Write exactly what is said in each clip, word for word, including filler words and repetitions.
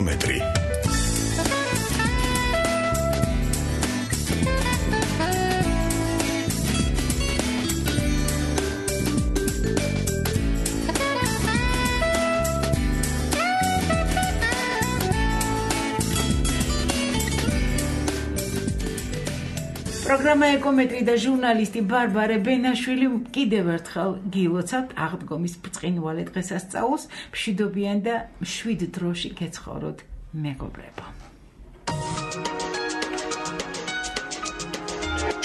ეკომეტრი. პროგრამა ეკომეტრი და ჟურნალისტი ბარბარე ბენაშვილი კიდევ ერთხელ გილოცავთ აღდგომის ბრწყინვალე დღესასწაულს, მშვიდობიან და მშვიდ დროში გეცხოვროთ მეგობრებო.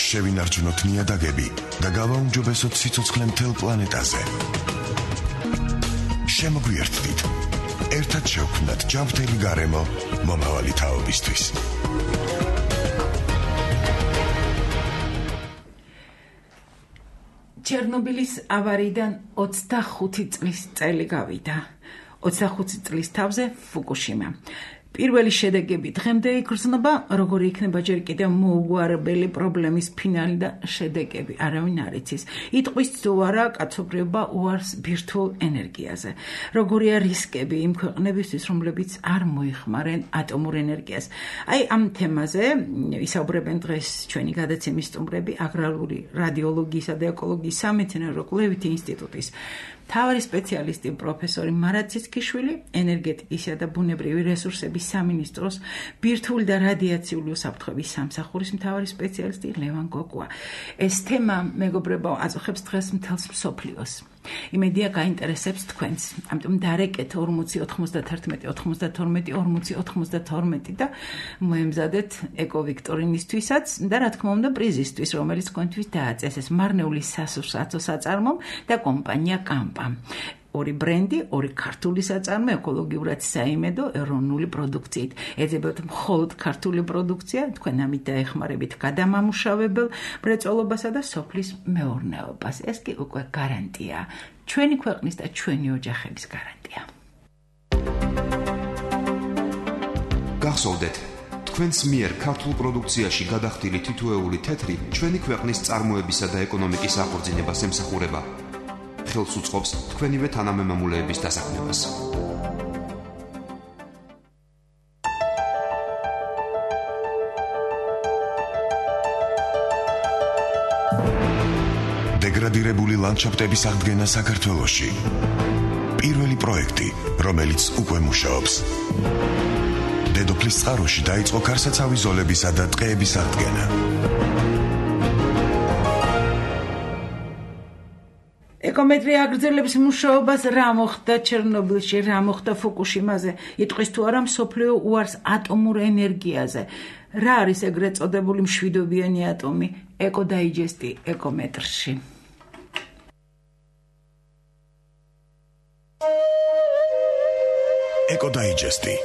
შევინარჩუნოთ ნიადაგები და გავაუმჯობესოთ სიცოცხლე მთელ პლანეტაზე. შემოგვიერთდით. ერთად შევქმნათ ჯანმრთელი გარემო მომავალი თაობისთვის. ჩერნობილის ავარიიდან ოცდახუთი წლის წელი გავიდა. ოცდახუთი წლის თავზე ფუკუშიმა. პირველი შედეგები დღემდე იგრძნობა, როგორი იქნება ჯერ კიდევ მოუგვარებელი პრობლემის ფინალი და შედეგები, არავინ არ იცის. იტყვის თუ არა კაცობრიობა უარს ბირთვულ ენერგიაზე. როგორია რისკები იმ ქვეყნებისთვის, რომლებიც არ მოიხმარენ ატომურ ენერგიას. აი ამ თემაზე ისაუბრებენ დღეს ჩვენი გადაცემის სტუმრები აგრარული რადიოლოგიისა და ეკოლოგიის სამეცნიერო კვლევითი ინსტიტუტის მთავარი სპეციალისტი პროფესორი მარატ ციცქიშვილი, ენერგეტიკისა და ბუნებრივი რესურსების სამინისტროს ბირთვული და რადიაციული უსაფრთხოების სამსახურის მთავარი სპეციალისტი ლევან გოგუა. ეს თემა, მეგობრებო, აწუხებს დღეს მთელს მსოფლიოს. იმედია გაინტერესებს თქვენს. ამიტომ დარეკეთ ორმოცი ოთხმოცდათერთმეტი ოთხმოცდათორმეტი ორმოცი ოთხმოცდათორმეტი და მოემზადეთ ეკოვიქტორინისთვისაც და რა თქმა უნდა პრიზისთვის, რომელიც თქვენთვის დააწესეს მარნეული სასურსათო საწარმომ და კომპანია კამპა. ორი ბრენდი, ორი ქართული საწარმო ეკოლოგიურად საიმედო ეროვნული პროდუქციით. ეძებათ მხოლოდ ქართული პროდუქცია, თქვენ ამით დაეხმარებით გადამამუშავებელ მრეწველობასა და სოფლის მეურნეობას. ეს კი უკვე გარანტია. ჩვენი ქვეყნის და ჩვენი ოჯახების გარანტია. გახსოვდეთ, თქვენს მიერ ქართულ პროდუქციაში გადახდილი თითოეული თეთრი ჩვენი ქვეყნის წარმოებისა და ეკონომიკის აღორძინებას ემსახურება. ხელს უწყობს თქვენივე თანამემამულეების დასაქმებას. დეგრადირებული ლანდშაფტების აღდგენა საქართველოში. პირველი პროექტი, რომელიც უკვე მუშაობს. დედოფლის წყაროში დაიწყო ქარსაცავი ზოლებისა და ტყეების აღდგენა. ეკომეტრი აგრძელებს მუშაობას რა მოხდა ჩერნობილში, რა მოხდა ფუკუშიმაზე, იტყვის თუ არა მსოფლიო უარს ატომურ ენერგიაზე. რა არის ეგრეთ წოდებული მშვიდობიანი ატომი? ეკოდაიჯესტი ეკომეტრში. ეკოდაიჯესტი.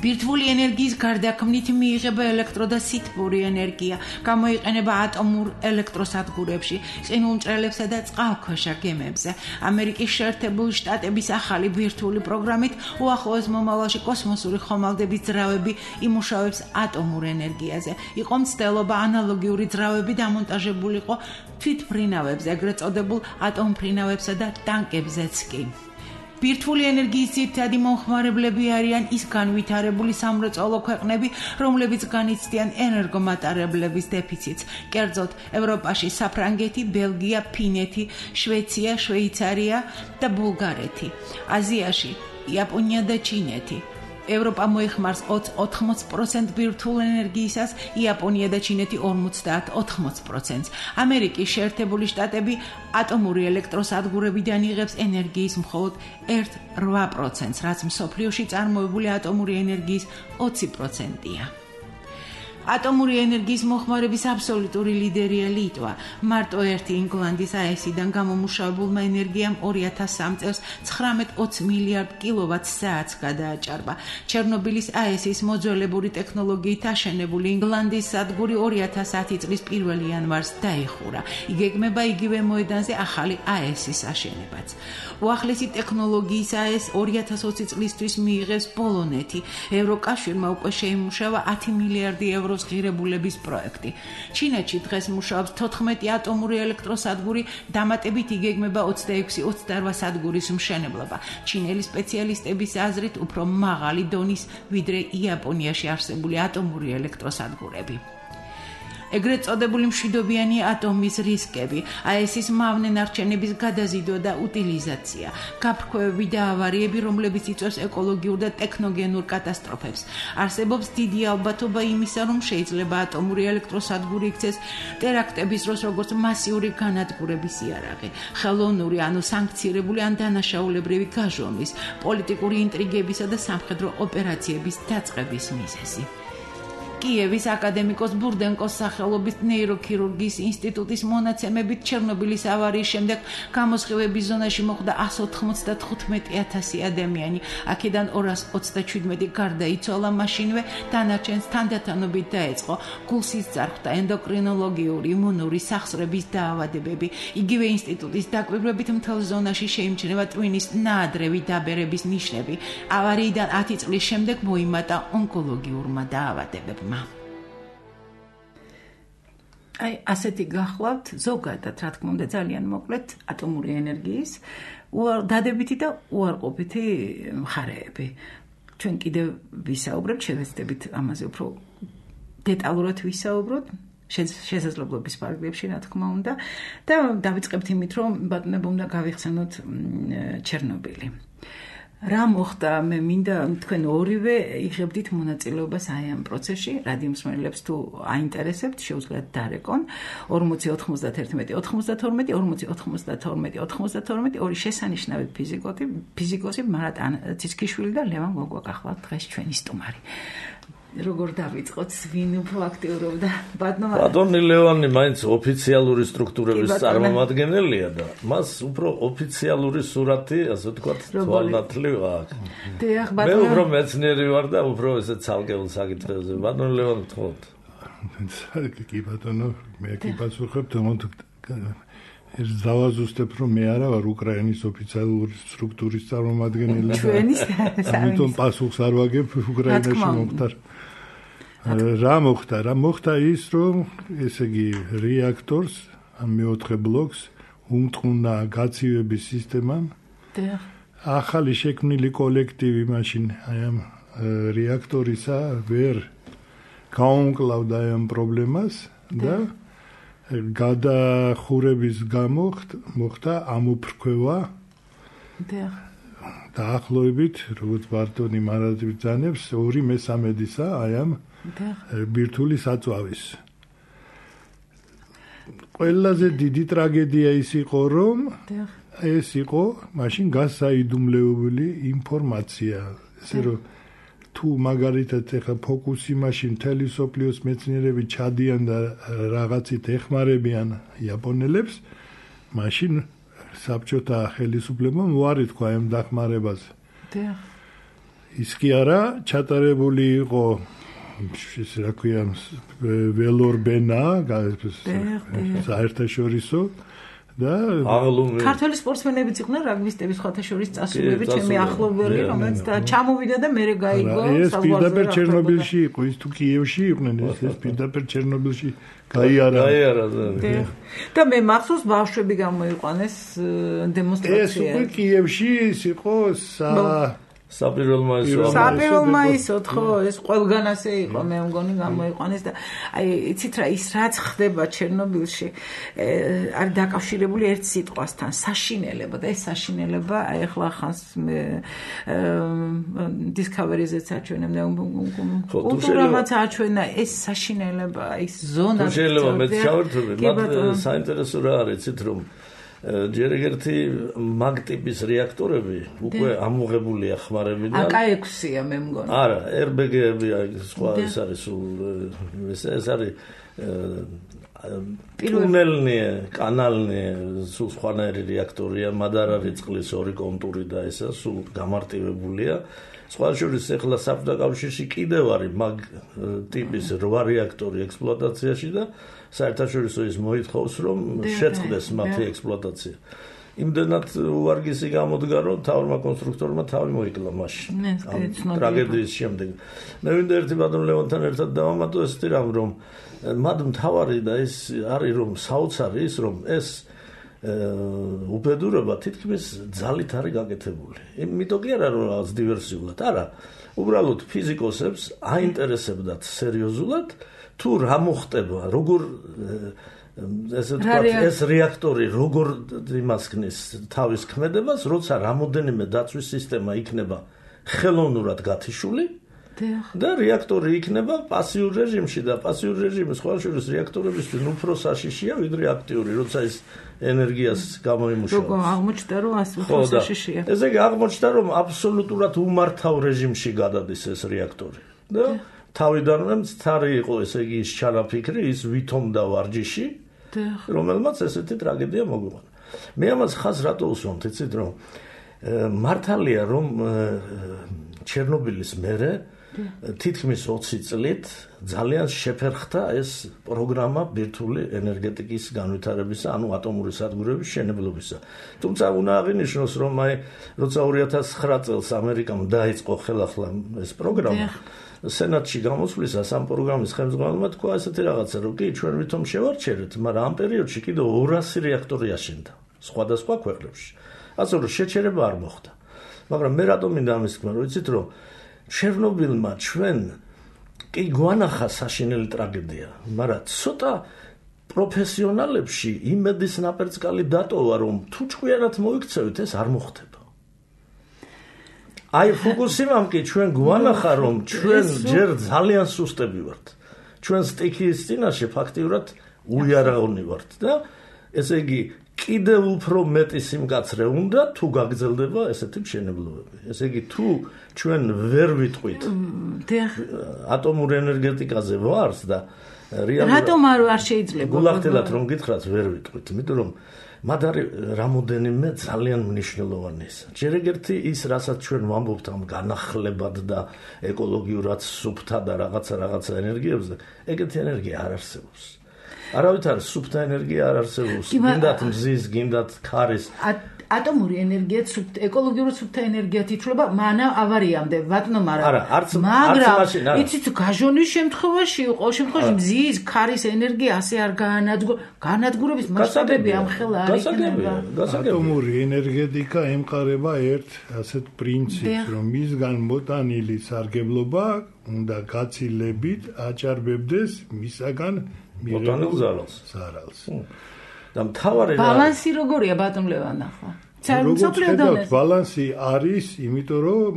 ბირთვული ენერგიის გარდაქმნით მიიღება ელექტრო და სითბური ენერგია, გამოიყენება ატომურ ელექტროსადგურებში, ყინულმჭრელებსა და წყალქვეშა გემებზე. ამერიკის შეერთებული შტატების ახალი ბირთვული პროგრამით უახლოეს მომავალში კოსმოსური ხომალდების ძრავები იმუშავებს ატომურ ენერგიაზე. იყო მცდელობა ანალოგიური ძრავები დამონტაჟებულიყო თვითმფრინავებზე, ეგრეთ წოდებულ ატომფრინავებსა და ტანკებზეც კი. ბირთვული ენერგიის ძირითადი მომხმარებლები არიან ის განვითარებული სამრეწველო ქვეყნები, რომლებიც განიცდიან ენერგომატარებლების დეფიციტს. კერძოდ, ევროპაში საფრანგეთი, ბელგია, ფინეთი, შვეიცია, შვეიცარია და ბულგარეთი. აზიაში იაპონია და ჩინეთი. ევროპა მოიხმარს ოთხმოცდ პროცენტს ბირთვულ ენერგიისას, იაპონია და ჩინეთი ორმოცდაათ ოთხმოცდ პროცენტს. ამერიკის შეერთებული შტატები ატომური ელექტროსადგურებიდან იღებს ენერგიის მხოლოდ ერთ კoma რვა პროცენტს, რაც მსოფლიოში წარმოებული ატომური ენერგიის ოცი პროცენტია. ატომური ენერგიის მოხმარების აბსოლუტური ლიდერია ლიტვა. მარტო ერთი ინგლანდის აესიდან გამომუშავებულმა ენერგიამ ორი ათას სამი წელს ცხრამეტ ოცი მილიარდ კილოვატ საათს გადააჭარბა. ჩერნობილის აესის მოძველებური ტექნოლოგიით აშენებული ინგლანდის სადგური ორი ათას ათი წლის პირველი იანვარს დაიხურა. იგეგმება იგივე მოედანზე ახალი აესის აშენებაც. უახლესი ტექნოლოგიის აეს ორი ათას ოცი წლისთვის მიიღეს პოლონეთი. ევროკავშირმა უკვე შეიმუშავა ათი მილიარდი ევრო სამხედრო ღირებულების პროექტი. ჩინეთში დღეს მუშაობს თოთხმეტი ატომური ელექტროსადგური, დამატებით იგეგმება ოცდაექვსი ოცდაოთხ სადგურის მშენებლობა. ჩინელი სპეციალისტების აზრით უფრო მაღალი დონის ვიდრე იაპონიაში არსებული ატომური ელექტროსადგურები. ეგრეთ წოდებული მშვიდობიანი ატომის რისკები, აესის მავნე ნარჩენების გადაზიდვა და უტილიზაცია, გაფრქვევები და ავარიები, რომლებიც იწვევს ეკოლოგიურ და ტექნოგენურ კატასტროფებს. არსებობს დიდი ალბათობა იმისა, რომ შეიძლება ატომური ელექტროსადგური იქცეს ტერაქტების დროს როგორც მასიური განადგურების იარაღი, ხელოვნური ანუ სანქცირებული ან დანაშაულებრივი გაჟონვის, პოლიტიკური ინტრიგებისა და სამხედრო ოპერაციების დაწყების მიზეზი. კიევის აკადემიკოს ბურდენკოს სახელობის ნეიროქირურგიის ინსტიტუტის მონაცემებით ჩერნობილის ავარიის შემდეგ გამოსხივების ზონაში მოხვდა εκατს ოთხმოცდათხუთმეტი ათასი ადამიანი. აქედან ორას ოცდაშვიდმეტი გარდაიცვალა მაშინვე, დანარჩენს თანდათანობით დაეწყო გულსის წარხვდა, ენდოკრინოლოგიური, იმუნური, სახსრების დაავადებები. იგივე ინსტიტუტის დაკვირვებით მთელ ზონაში შეიმჩნევა ტვინის ნაადრევი დაბერების ნიშნები. ავარიიდან ათი წლის შემდეგ მოიმატა ონკოლოგიურმა დაავადებებმა. აი, ასეთი გახლავთ ზოგადად, რა თქმა უნდა, ძალიან მოკლედ ატომური ენერგიის დადებითი და უარყოფითი მხარეები. ჩვენ კიდევ ვისაუბრებთ, შევეცდებით ამაზე უფრო დეტალურად ვისაუბროთ, შესაძლებლობის ფარგლებში, რა თქმა უნდა, და დავიწყებთ იმით, რომ ბატონებო უნდა გავიხსენოთ ჩერნობილი. რა მოხდა, მე მინდა თქვენ ორივე იღებდით მონაწილეობას აი ამ პროცესში, რადიომსმენელებს თუ აინტერესებთ, შეუძლიათ დარეკონ ორმოცი ოთხმოცდაერთმეტი ოცდაათორმეტი ორმოცი ოთხმოცდათორმეტი ოცდაათორმეტი ორი შესანიშნავი ფიზიკოსი, ფიზიკოსი მარატ ციცქიშვილი და ლევან გოგვა გახლავთ დღეს ჩვენი სტუმარი. როგორ დავიწყოთ, ვინ უფრო აქტიურობდა? ბატონო ბატონი ლევანი მაინც ოფიციალური სტრუქტურების წარმომადგენელია და მას უფრო ოფიციალური სურათი, ასე ვთქვათ, თვალნათლივ აქვს. დიახ, ბატონო. მე უფრო მეცნიერი ვარ და უფრო ესე ცალკეულ საკითხებზე. ბატონო ლევანი, თხოვთ. კი ბატონო, მე კი პასუხობ, თუმცა ეს დავაზუსტებ, რომ მე არა ვარ უკრაინის ოფიციალური სტრუქტურის წარმომადგენელი. ჩვენის ამიტომ პასუხს არ ვაგებ უკრაინაში მომხდარ. რა მოხდა? რა მოხდა ის, რომ ესე იგი რეაქტორს, ამ მეოთხე ბლოკს უმტყუნა გაცივების სისტემამ. ახალი შექმნილი კოლექტივი მაშინ აი ამ რეაქტორისა ვერ გაუმკლავდა ამ პრობლემას და გადახურების გამო მოხდა ამოფრქვევა. დაახლოებით, როგორც ბარტონი მარადივ ძანებს, ორი მესამედისა აი ამ ბირთვული საწვავის. ყველაზე დიდი ტრაგედია ის იყო, რომ ეს იყო მაშინ გასაიდუმლოებული ინფორმაცია. ესე რომ თუ მაგალითად ეხა ფოკუსი მაშინ მთელი სოფლიოს მეცნიერები ჩადიან და რაღაცით ეხმარებიან იაპონელებს, მაშინ საბჭოთა ხელისუფლებამ უარი თქვა ამ დახმარებაზე. ის კი არა, ჩატარებული იყო ეს რა ქვია ველორბენა, საერთაშორისო და ქართული სპორტსმენებიც იყვნენ, რაგბისტები სხვათა შორის წასულები, ჩემი ახლობელი, რომელიც ჩამოვიდა და მერე გაიგო საზღვარზე. ეს პირდაპირ ჩერნობილში იყო, ის თუ კიევში იყვნენ, ეს ეს პირდაპირ ჩერნობილში გაიარა. გაიარა და მე მახსოვს ბავშვები გამოიყვანეს დემონსტრაციაზე. ეს უკვე კიევში ის იყო სა საპირველ მაისო. საპირველ მაისო, ხო, ეს ყველგან ასე იყო, მე მგონი გამოიყვანეს და აი, იცით რა, ის რაც ხდება ჩერნობილში, არ დაკავშირებული ერთ სიტყვასთან, საშინელება და ეს საშინელება, აი ახლა ხანს მე Discovery-ზეც აჩვენებ და კულტურამაც აჩვენა ეს საშინელება, ის ზონა. შეიძლება მე ჩავერთვები, მაგრამ საინტერესო რა არის, იცით რომ ჯერ ერთი მაგ ტიპის რეაქტორები უკვე ამოღებულია ხმარებიდან. აკა ექვსია მე მგონი. არა, ერ ბე გეები სხვა ეს არის სულ ეს არის ტუნელნია, კანალნია, სულ სხვანაირი რეაქტორია, მადარ არის წყლის ორი კონტური და ესა სულ გამარტივებულია. სხვა შორის ახლა საბჭოთა კავშირში კიდევ არის მაგ ტიპის რვა რეაქტორი ექსპლუატაციაში და საერთაშორისო ის მოითხოვს, რომ შეწყდეს მათი ექსპლუატაცია. იმდენად უარგისი გამოდგა, რომ თავმა კონსტრუქტორმა თავი მოიკლა მაშინ. ტრაგედიის შემდეგ. მე ვინდა ერთი ბატონ ლევონთან ერთად დავამატო ესეთი რამ, რომ მათ მთავარი და ეს არის რომ საოცარი ის რომ ეს უბედურება თითქმის ძალით არის გაკეთებული. იმიტომ კი არა რომ რაღაც დივერსიულად, არა. უბრალოდ ფიზიკოსებს აინტერესებდათ სერიოზულად თუ რა მოხდება, როგორ ესე თქვა ეს რეაქტორი როგორ იმას ქნის თავის ქმედებას, როცა რამოდენიმე დაცვის სისტემა იქნება ხელოვნურად გათიშული და რეაქტორი იქნება პასიურ რეჟიმში და პასიურ რეჟიმი სხვა შორის რეაქტორებისთვის უფრო საშიშია ვიდრე აქტიური, როცა ის ენერგიას გამოიმუშავებს. როგორ აღმოჩნდა რომ ასე უფრო საშიშია. ესე იგი აღმოჩნდა რომ აბსოლუტურად უმართავ რეჟიმში გადადის ეს რეაქტორი. და თავიდანვე მცდარი იყო ესე იგი ის ჩანაფიქრი, ის ვითომდა ვარჯიში, რომელმაც ესეთი ტრაგედია მოგვიყვანა. მე ამას ხაზს რატო უსვამთ, იცით რომ მართალია რომ ჩერნობილის მერე თითქმის ოცი წლით ძალიან შეფერხდა ეს პროგრამა ბირთვული ენერგეტიკის განვითარებისა, ანუ ატომური სადგურების მშენებლობისა. თუმცა უნდა აღინიშნოს, რომ აი როცა ორი ათას ცხრა წელს ამერიკამ დაიწყო ხელახლა ეს პროგრამა, სენატში გამოსვლისას ამ პროგრამის ხელმძღვანელმა თქვა ესეთი რაღაცა, რომ კი ჩვენ ვითომ შევარჩერეთ, მაგრამ ამ პერიოდში კიდევ ორასი რეაქტორი აშენდა სხვადასხვა ქვეყნებში. ასე რომ შეჩერება არ მოხდა. მაგრამ მე რატომ მინდა ამის თქვა, რომ იცით რომ ჩერნობილმა ჩვენ კი გვანახა საშინელი ტრაგედია, მაგრამ ცოტა პროფესიონალებში იმედის ნაპერწკალი დატოვა, რომ თუ ჭკვიანად მოიქცევით, ეს არ მოხდება. აი ფუკუსიმამ კი ჩვენ გვანახა, რომ ჩვენ ჯერ ძალიან სუსტები ვართ. ჩვენ სტიქიის წინაშე ფაქტიურად უიარაღონი ვართ და ესე იგი კიდევ უფრო მეტი სიმკაცრე უნდა თუ გაგრძელდება ესეთი მშენებლობები. ესე იგი თუ ჩვენ ვერ ვიტყვით ატომურ ენერგეტიკაზე ვარს და რეალურად რატომ არ შეიძლება გულახდილად რომ გითხრათ ვერ ვიტყვით, იმიტომ რომ მათ არის რამოდენიმე ძალიან მნიშვნელოვანი ის. ჯერ ერთი ის, რასაც ჩვენ ვამბობთ ამ განახლებად და ეკოლოგიურად სუფთა და რაღაცა რაღაცა ენერგიებზე, ეგეთი ენერგია არ არსებობს. არავით არის სუფთა ენერგია არ არსებობს. გინდათ მზის, გინდათ ქარის. ატომური ენერგია სუფთა, ეკოლოგიურად სუფთა ენერგიათ ითვლება მანა ავარიამდე, ბატონო, მაგრამ არა, არც მაგრამ იცით, გაჟონის შემთხვევაში, ყოველ შემთხვევაში მზის, ქარის ენერგია ასე არ გაანადგურებს, განადგურების მასშტაბები ამხელა არ იქნება. ატომური ენერგეტიკა ემყარება ერთ ასეთ პრინციპს, რომ მისგან მოტანილი სარგებლობა უნდა გაცილებით აჭარბებდეს მისაგან მოტანილ ზარალს. ზარალს. და მთავარი ბალანსი როგორია ბატონ ლევან ახლა? როგორც ბალანსი არის, იმიტომ რომ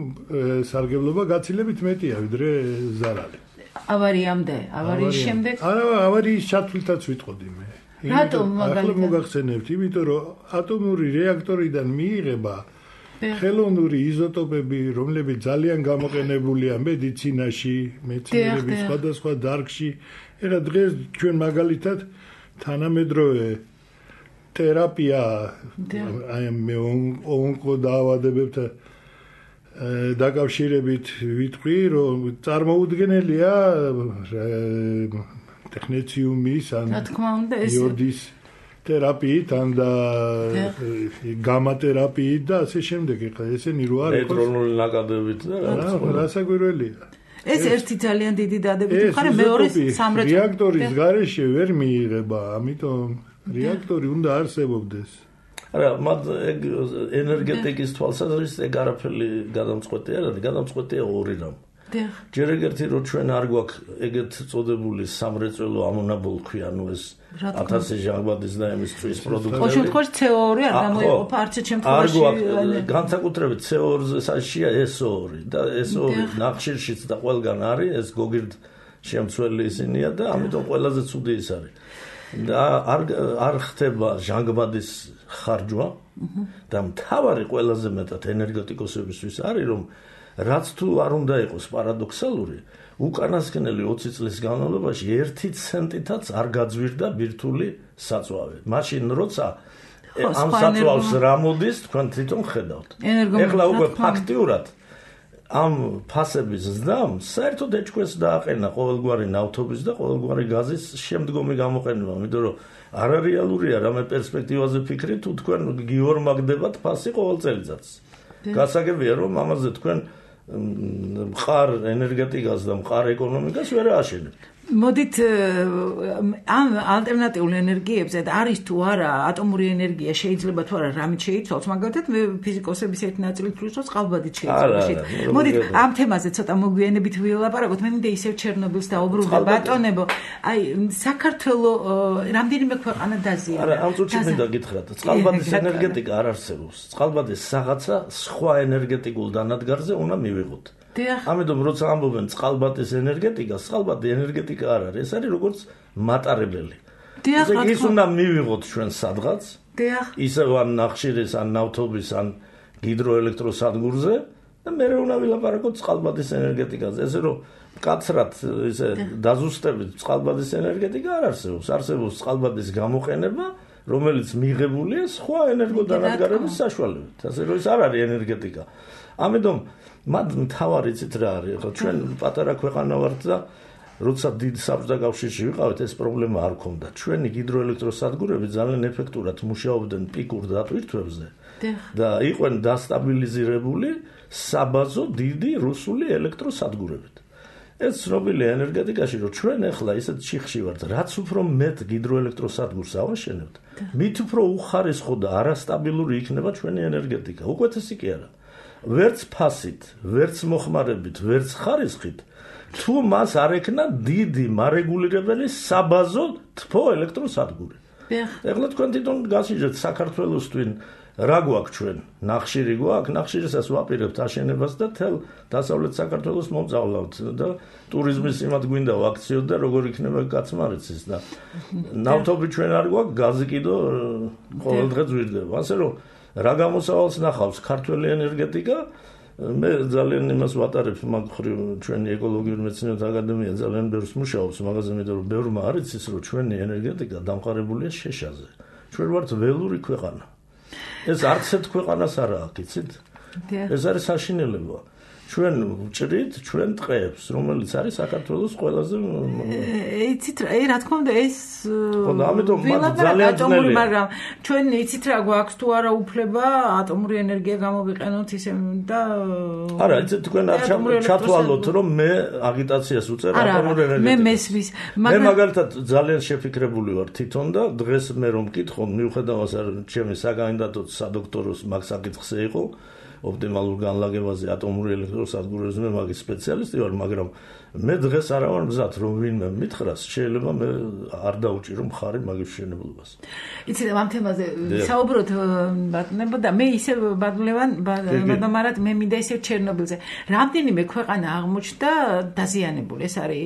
სარგებლობა გაცილებით მეტია ვიდრე ზარალი. ავარიამდე, ავარიის შემდეგ? არა, ავარიის ჩათვლითაც ვიტყოდი მე. რატომ მაგალითად? ახლა მოგახსენებთ, იმიტომ რომ ატომური რეაქტორიდან მიიღება ხელოვნური იზოტოპები, რომლებიც ძალიან გამოყენებულია მედიცინაში, მეცნიერების სხვადასხვა დარგში. ეხლა დღეს ჩვენ მაგალითად თანამედროვე თერაპია აი მე ონკოდაავადებებთან დაკავშირებით ვიტყვი, რომ წარმოუდგენელია ტექნეციუმის ან იოდის თერაპიით ან და გამა თერაპიით და ასე შემდეგ. ეხლა ესენი რო არის ნეიტრონული ნაკადებით და რა რასაკვირველია. ეს ერთი ძალიან დიდი დადებითი მხარე, მეორე სამრეწველო რეაქტორის გარეშე ვერ მიიღება, ამიტომ რეაქტორი უნდა არსებობდეს. არა, მათ ეგ ენერგეტიკის თვალსაზრისით ეგ არაფერი გადამწყვეტი არ არის, გადამწყვეტია ორი რამ. ჯერ ერთი რომ ჩვენ არ გვაქვს ეგეთ წოდებული სამრეწველო ამონაბოლქვი, ანუ ეს ათასი ჟანგბადის და იმის წვის პროდუქტები. ყოველ შემთხვევაში ცე ო ორი არ გამოიყოფა არც ერთ შემთხვევაში. არ გვაქვს განსაკუთრებით ცე ო ორზე საშიშია ეს ო ორი და ეს ო ორი ნახშირშიც და ყველგან არის, ეს გოგირდ შემცველი ისინია და ამიტომ ყველაზე ცუდი ის არის. და არ არ ხდება ჟანგბადის ხარჯვა და მთავარი ყველაზე მეტად ენერგეტიკოსებისთვის არის რომ რაც თუ არ უნდა იყოს პარადოქსალური, უკანასკნელი ოცი წლის განმავლობაში ერთი ცენტითაც არ გაძვირდა ბირთვული საწვავი. მაშინ როცა ამ საწვავს რა მოდის, თქვენ თვითონ ხედავთ. ეხლა უკვე ფაქტიურად ამ ფასების ზრდამ საერთოდ ეჭქვეშ დააყენა ყოველგვარი ნავთობის და ყოველგვარი გაზის შემდგომი გამოყენება, იმიტომ რომ არარეალურია რამე პერსპექტივაზე ფიქრი თუ თქვენ გიორმაგდებათ ფასი ყოველ წელიწადს. გასაგებია რომ ამაზე თქვენ მყარ ენერგეტიკას და მყარ ეკონომიკას ვერ ააშენებთ. მოდით ამ ალტერნატიულ ენერგიებზე არის თუ არა ატომური ενέργεια შეიძლება თუ არა რამით შეიცვალოს, მაგალითად მე ფიზიკოსების ერთი ნაწილი თვლის რომ წყალბადით შეიცვალოს. მოდით ამ თემაზე ცოტა მოგვიანებით ვილაპარაკოთ. მე მინდა ისევ ჩერნობილს დაუბრუნდე ბატონებო. აი საქართველო რამდენიმე ქვეყანა დაზიანა. არა, ამ წუთში მინდა გითხრათ, წყალბადის ენერგეტიკა არ არსებობს. წყალბადის რაღაცა სხვა ენერგეტიკულ დანადგარზე უნდა მივიღოთ. ამიტომ როცა ამბობენ წყალბადის ენერგეტიკა, წყალბადი ენერგეტიკა არ არის, ეს არის როგორც მატარებელი. ის უნდა მივიღოთ ჩვენ სადღაც, ისევ ან ნახშირის, ან ნავთობის, ან ჰიდროელექტროსადგურზე და მე უნდა ვილაპარაკოთ წყალბადის ენერგეტიკაზე. ესე რომ მკაცრად ისე დაზუსტებით წყალბადის ენერგეტიკა არ არსებობს. არსებობს წყალბადის გამოყენება, რომელიც მიღებულია სხვა ენერგოდანადგარების საშუალებით. ასე რომ ეს არ არის ენერგეტიკა. ამიტომ მათ მთავარი ცით რა არის, ხო ჩვენ პატარა ქვეყანა ვართ და როცა დიდ საბჭოთა კავშირში ვიყავით, ეს პრობლემა არ ქონდა. ჩვენი ჰიდროელექტროსადგურები ძალიან ეფექტურად მუშაობდნენ პიკურ დატვირთვებზე და იყვნენ დასტაბილიზირებული საბაზო დიდი რუსული ელექტროსადგურებით. ეს ცნობილია ენერგეტიკაში, რომ ჩვენ ახლა ისეთ ჩიხში ვართ, რაც უფრო მეტ ჰიდროელექტროსადგურს ავაშენებთ, მით უფრო უხარისხო და არასტაბილური იქნება ჩვენი ენერგეტიკა. უკეთესი კი არა. ვერც ფასით, ვერც მოხმარებით, ვერც ხარისხით, თუ მას არ ექნა დიდი მარეგულირებელი საბაზო თბო ელექტროსადგური. ეხლა თქვენ თვითონ გასიჯეთ საქართველოსთვის რა გვაქვს ჩვენ? ნახშირი გვაქვს, ნახშირისას ვაპირებთ აშენებას და თელ დასავლეთ საქართველოს მომწავლავთ და ტურიზმის იმად გვინდა ვაქციოთ და როგორ იქნება კაცმარიცის და ნავთობი ჩვენ არ გვაქვს, გაზი კიდო ყოველდღე ძვირდება. ასე რომ რა გამოსავალს ნახავს ქართული ენერგეტიკა? მე ძალიან იმას ვატარებ მაგ ხრივ ჩვენი ეკოლოგიური მეცნიერებათა აკადემია ძალიან ბევრს მუშაობს მაგაზე, იმიტომ რომ ბევრმა არ იცის რომ ჩვენი ენერგეტიკა დამყარებულია შეშაზე. ჩვენ ვართ ველური ქვეყანა. ეს არც ერთ ქვეყანას არ აქვს, იცით? ეს არის საშინელება. ჩვენ ვჭრით ჩვენ ტყეებს, რომელიც არის საქართველოს ყველაზე იცით რა, რა თქმა უნდა ეს ხო და ამიტომ ძალიან ძნელია, მაგრამ ჩვენ იცით რა გვაქვს თუ არა უფლება ატომური ენერგია გამოვიყენოთ ისე და არა, იცით თქვენ არ ჩათვალოთ რომ მე აგიტაციას უწერ ატომურ ენერგიას. მე მესვის, მაგრამ მე მაგალითად ძალიან შეფიქრებული ვარ თვითონ და დღეს მე რომ მკითხო, მიუხედავად ჩემი საკანდიდატო სადოქტოროს მაგ საკითხზე იყო ოპტიმალურ განლაგებაზე ატომური ელექტროსადგურებზე მე მაგის სპეციალისტი ვარ, მაგრამ მე დღეს არა ვარ მზად რომ ვინმე მითხრას, შეიძლება მე არ დაუჭირო მხარი მაგის მშენებლობას. იცით ამ თემაზე საუბრობთ ბატონებო და მე ისე ბატონლევან ბატონმარად მე მინდა ისე ჩერნობილზე. რამდენიმე ქვეყანა აღმოჩნდა დაზიანებული. ეს არის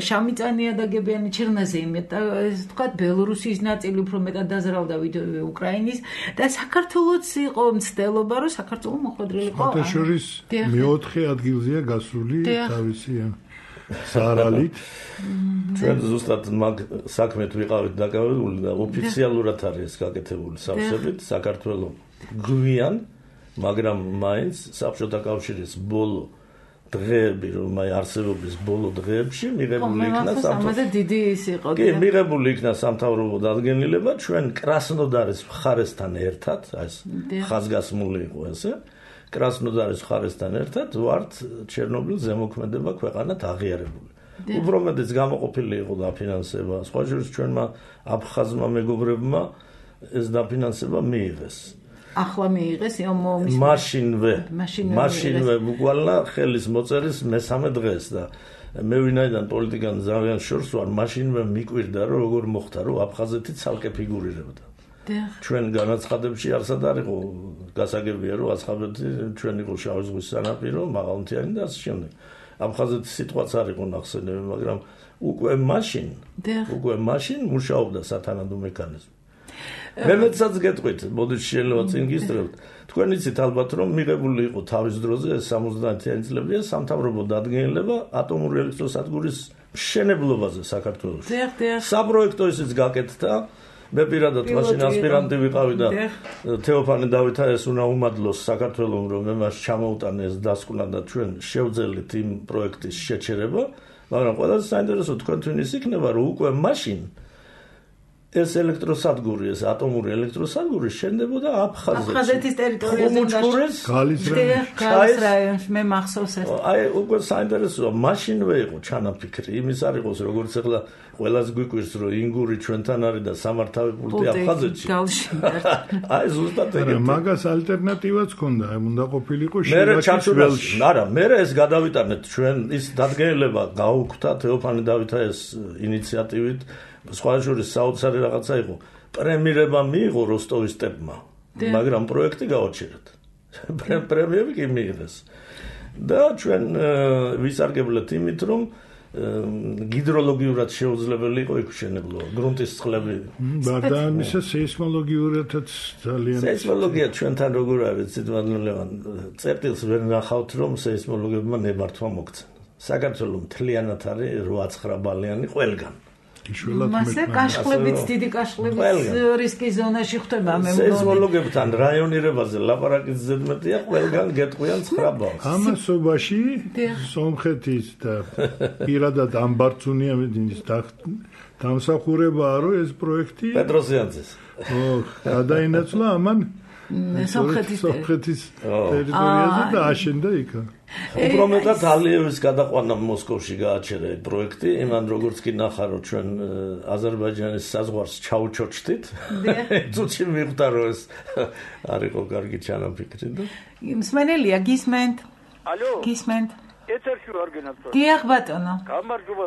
შავმიწა ნიადაგებიანი ჩერნოზემი და ეს თქვა ბელორუსიის ნაწილი უფრო მეტად დაზრავდა ვიდრე უკრაინის და საქართველოც იყო მცდელობა რომ საქართველო მოხვედრილი იყო. ფოტოშორის მეოთხე ადგილზეა გასული თავისი სარალით. ჩვენ ზუსტად მაგ საქმეთ ვიყავით დაკავებული და ოფიციალურად არის გაკეთებული სავსებით საქართველოს გვიან, მაგრამ მაინც საბჭოთა კავშირის ბოლო დღეები, რომ აი არსებობის ბოლო დღეებში მიღებული იქნა სამთავრობო დიდი ის იყო. კი, მიღებული იქნა სამთავრობო დადგენილება ჩვენ კრასნოდარის მხარესთან ერთად, ეს ხაზგასმული იყო ესე. კრასნოდარის მხარესთან ერთად ვართ ჩერნობილის ზემოქმედება ქვეყანად აღიარებული. უფრო მეტიც გამოყოფილი იყო დაფინანსება. სხვა შორის ჩვენმა აფხაზმა მეგობრებმა ეს დაფინანსება მიიღეს. ახლა მიიღეს ომის მაშინვე მაშინვე ბუკვალა ხელის მოწერის მესამე დღეს და მე ვინაიდან პოლიტიკան ძალიან შორს ვარ, მაშინვე მიკვირდა რომ როგორ მოხდა რომ აფხაზეთი ცალკე ფიგურირებდა. ჩვენ განაცხადებში არსად არ იყო გასაგებია რომ აფხაზეთი ჩვენ იყო შავი ზღვის სანაპირო, მაღალმთიანი და ასე შემდეგ. აფხაზეთის სიტყვაც არ იყო ნახსენები, მაგრამ უკვე მაშინ უკვე მაშინ მუშაობდა სათანადო მექანიზმი. მე მეცაც გეტყვით, მოდით შეიძლება წინ გისწრებთ. თქვენ იცით ალბათ რომ მიღებული იყო თავის დროზე სამოცდაათიანი წლებია სამთავრობო დადგენილება ატომური ელექტროსადგურის მშენებლობაზე საქართველოში. საპროექტო ისიც გაკეთდა, მე პირადად მაშინ ასპირანტი ვიყავი და თეოფანი დავითა ეს უნდა უმადლოს საქართველოს რომ მე მას ჩამოუტანე ეს დასკვნა და ჩვენ შევძელით იმ პროექტის შეჩერება, მაგრამ ყველაზე საინტერესო თქვენთვის ის იქნება რომ უკვე მაშინ ეს ელექტროსადგური, ეს ატომური ელექტროსადგური შენდებოდა აფხაზეთში. აფხაზეთის ტერიტორიაზე გალის გალის რაიონში მე მახსოვს ეს. აი უკვე საინტერესოა, მაშინვე იყო ჩანაფიქრი, იმის არ იყოს როგორც ახლა ყველას გვიკვირს რომ ინგური ჩვენთან არის და სამართავი პულტი აფხაზეთში. აი ზუსტად ეგეთი. მაგას ალტერნატივაც ქონდა, უნდა ყოფილიყო შილაკის ველში. არა, მე ეს გადავიტანეთ ჩვენ ის დადგენილება გაუქმდა თეოფანი დავითა ეს ინიციატივით. სხვა შორის საოცარი რაღაცა იყო. პრემიერება მიიღო როსტოვის სტეპმა, მაგრამ პროექტი გაუჩერეთ. პრემიერები კი მიიღეს. და ჩვენ ვისარგებლეთ იმით, რომ გიდროლოგიურად შეუძლებელი იყო იქ შენებლო, გრუნტის წყლები. და ამისა სეისმოლოგიურადაც ძალიან სეისმოლოგია ჩვენთან როგორ არის, ციტმადლევან წერტილს ვერ ნახავთ, რომ სეისმოლოგებმა ნებართვა მოგცენ. საქართველოს მთლიანად არის რვა ცხრა ბალიანი ყველგან. მასე კაშხლებით დიდი კაშხლების რისკის ზონაში ხდება მე მგონი. სეისმოლოგებთან რაიონირებაზე ლაპარაკის ზედმეტია ყველგან გეტყვიან ცხრა ბალს. ამასობაში სომხეთის და პირადად ამბარცუნია მედინის დამსახურებაა რომ ეს პროექტი პეტროსიანძეს. ო, გადაინაცვლა ამან სომხეთის ტერიტორიაზე და აშენდა იქ. უფრო მეტად ალიევის გადაყვანა მოსკოვში გააჩერა ეს პროექტი, იმან როგორც კი ნახა რომ ჩვენ აზერბაიჯანის საზღვარს ჩაუჩოჩდით. წუთში მიხვდა რომ ეს არ იყო კარგი ჩანაფიქრი და მსმენელია გისმენთ? ალო? გისმენთ? ეთერში ვარ გენათო. დიახ ბატონო. გამარჯობა.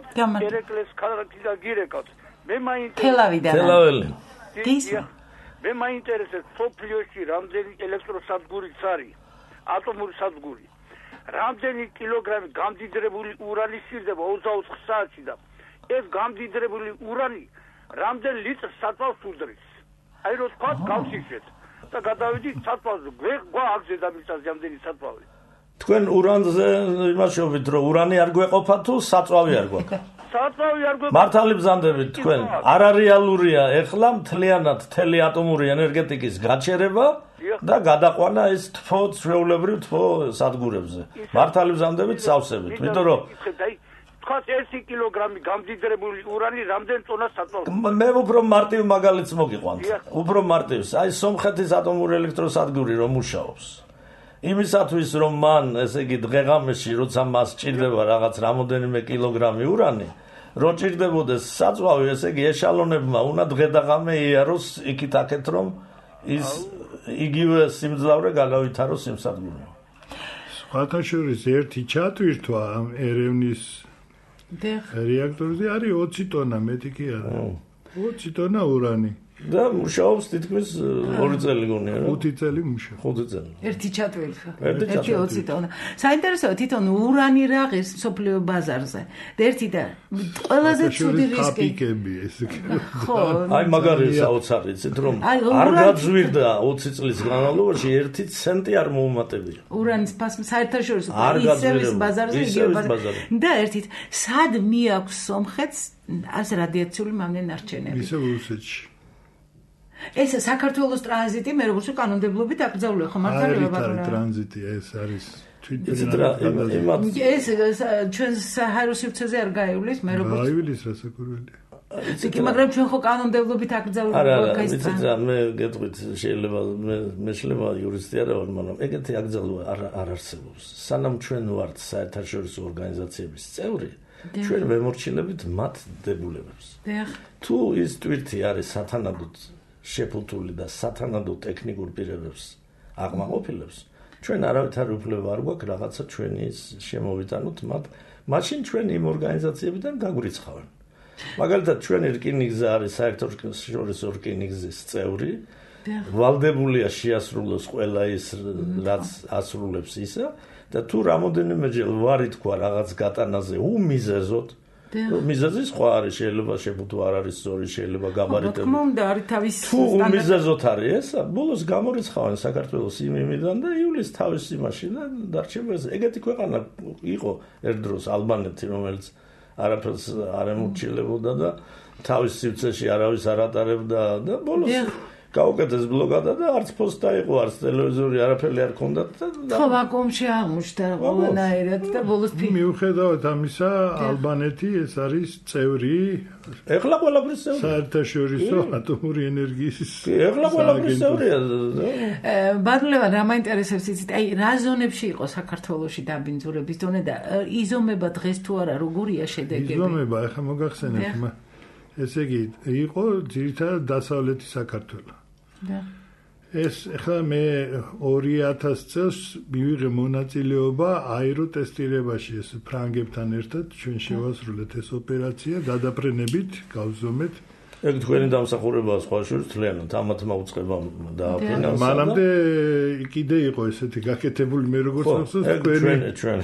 ერეკლეს ქალაქიდან გირეკავთ. მე მაინტერესებს თელავიდან. თელაველი. გისმენთ? მე მაინტერესებს სოფლიოში რამდენი ელექტროსადგური არის? ატომური სადგური. რამდენი კილოგრამი გამდიდრებული ურანი სჭირდება ოცდაოთხ საათში და ეს გამდიდრებული ურანი რამდენ ლიტრს საწვავს უდრის. აი რო თქვა გავსიქეთ და გადავიდით საწვავზე. გვეყვა აგზე დამიწაზე რამდენი საწვავი. თქვენ ურანზე იმაშობით რომ ურანი არ გვეყოფა თუ საწვავი არ გვაქვს? საწვავი არ გვეყოფა. მართალი ბზანდებით თქვენ. არარეალურია ეხლა მთლიანად თელი ატომური ენერგეტიკის გაჩერება და გადაყვანა ეს თფო ჩვეულებრივ თფო სადგურებზე. მართალი ბზანდებით სავსებით. იმიტომ რომ თქვა ერთი კილოგრამი გამდიდრებული ურანი რამდენ ტონას საწვავს? მე უფრო მარტივ მაგალითს მოგიყვანთ. უფრო მარტივს. აი სომხეთის ატომური ელექტროსადგური რომ მუშაობს. იმისათვის რომ მან ესე იგი დღეღამეში როცა მას ჭირდება რაღაც რამოდენიმე კილოგრამი ურანი, რო ჭირდებოდეს საწვავი, ესე იგი ეშალონებმა უნდა დღე და ღამე იაროს იქით აქეთ რომ ის იგივე სიმძლავრე გადავითაროს იმ სადგურში. სხვათა შორის ერთი ჩატვირთვა ამ ერევნის რეაქტორზე არის ოცი ტონა, მეტი კი არა. ოცი ტონა ურანი. და მუშაობს თითქმის ორი წელი გონია რა. ხუთი წელი მუშაობს. ხუთი წელი. ერთი ჩატვირთვა. ერთი ოცი ტონა. საინტერესოა თვითონ ურანი რაღაც სოფლიო ბაზარზე. და ერთი და ყველაზე ცუდი რისკი. კაპიკები ეს. ხო. აი მაგარი საოცარი იცით რომ არ გაძვირდა ოცი წლის განმავლობაში ერთი ცენტი არ მოუმატებია. ურანის ფასი საერთაშორისო ისევის ბაზარზე იგივე ბაზარი. და ერთით სად მიაქვს სომხეთს ას რადიაციული მამნენარჩენები? ისე რუსეთში. ეს საქართველოს ტრანზიტი მე როგორც კანონმდებლობით აკრძალულია ხო მართალია ბატონო? არის ტრანზიტი, ეს არის თვითონ ეს ჩვენ საჰაერო სივრცეზე არ გაივლის მე როგორც გაივლის რასაკვირველია. იქ მაგრამ ჩვენ ხო კანონმდებლობით აკრძალულია ეს ტრანზიტი. არა, მე გეტყვით შეიძლება მე მე შეიძლება იურისტი არ ვარ, მაგრამ ეგეთი აკრძალვა არ არ არსებობს. სანამ ჩვენ ვართ საერთაშორისო ორგანიზაციების წევრი, ჩვენ ვემორჩილებით მათ დებულებებს. თუ ის ტვირთი არის სათანადოდ შეფუთული და სათანადო ტექნიკურ პირებებს აღმაყოფილებს, ჩვენ არავითარი უფლება არ გვაქვს რაღაცა ჩვენი შემოვიტანოთ მათ, მაშინ ჩვენ იმ ორგანიზაციებიდან გაგვრიცხავენ. მაგალითად, ჩვენი რკინიგზა არის საერთაშორისო რკინიგზის წევრი, ვალდებულია შეასრულოს ყველა ის, რაც ასრულებს ისა და თუ რამოდენიმეჯერ ვარი თქვა რაღაც გატანაზე უმიზეზოდ მიზეზი სხვა არის, შეიძლება შეფუთო არ არის სწორი, შეიძლება გაბარიტები. თქმა უნდა, არის თავის თუ უმიზეზოდ არის ესა, ბოლოს გამორიცხავენ საქართველოს იმ იმიდან და იulis თავის იმაში და დარჩება ეს. ეგეთი ქვეყანა იყო ერთ დროს ალბანეთი, რომელიც არაფერს არ ემორჩილებოდა და თავის სივრცეში არავის არ ატარებდა და ბოლოს გაუკეთეს ბლოკადა და არც ფოსტ დაიყო, არც ტელევიზორი, არაფერი არ ქონდათ და ხო ვაკუუმში აღმოჩნდა ყველანაირად და ბოლოს მიუხედავად ამისა, ალბანეთი ეს არის წევრი ეხლა ყველაფრის წევრი საერთაშორისო ატომური ენერგიის ეხლა ყველაფრის წევრია ბატონო რა მაინტერესებს იცით აი რა ზონებში იყო საქართველოში დაბინძურების დონე და იზომება დღეს თუ არა როგორია შედეგები იზომება ეხლა მოგახსენებთ ესე იგი იყო ძირითადად დასავლეთი საქართველო ეს ახლა მე ორი ათას წელს მივიღე მონაწილეობა აეროტესტირებაში ეს ფრანგებთან ერთად ჩვენ შევასრულეთ ეს ოპერაცია გადაფრენებით გავზომეთ ეგ თქვენი დამსახურებაა სხვა შორის თლიანად ამათ მაუწყებამ დააფინანსა მანამდე კიდე იყო ესეთი გაკეთებული მე როგორც ხსოვს თქვენი ჩვენ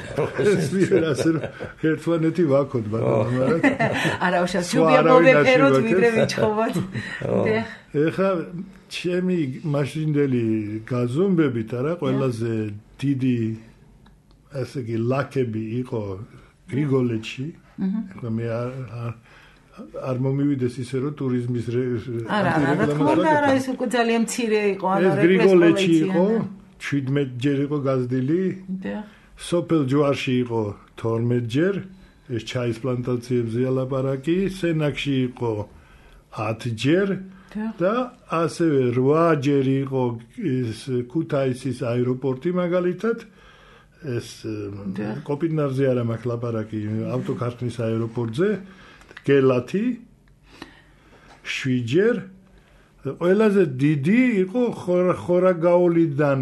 ჩვენ ასე რომ ერთმანეთი ვაქოთ ბატონო მაგრამ არა უშავს შუბია მოვეფეროთ ვიდრე ვიჩხობოთ ეხლა ჩემი მაშინდელი გაზომბებით არა ყველაზე დიდი ასე იგი ლაკები იყო გრიგოლეთში ეხლა მე არ მომივიდეს ისე რომ ტურიზმის არა არა თქმა უნდა არა ეს უკვე ძალიან მცირე იყო ანუ ეს გრიგოლეთში იყო შვიდმეტ ჯერ იყო გაზრდილი სოფელ ჯვარში იყო თორმეტ ჯერ ეს ჩაის პლანტაციებზე ლაპარაკი სენაკში იყო ათი ჯერ და ასევე რვა ჯერ იყო ეს ქუთაისის აეროპორტი მაგალითად ეს კოპინარზე არა მაქვს ლაპარაკი ავტოქარხნის აეროპორტზე გელათი შვიჯერ ყველაზე დიდი იყო ხორაგაულიდან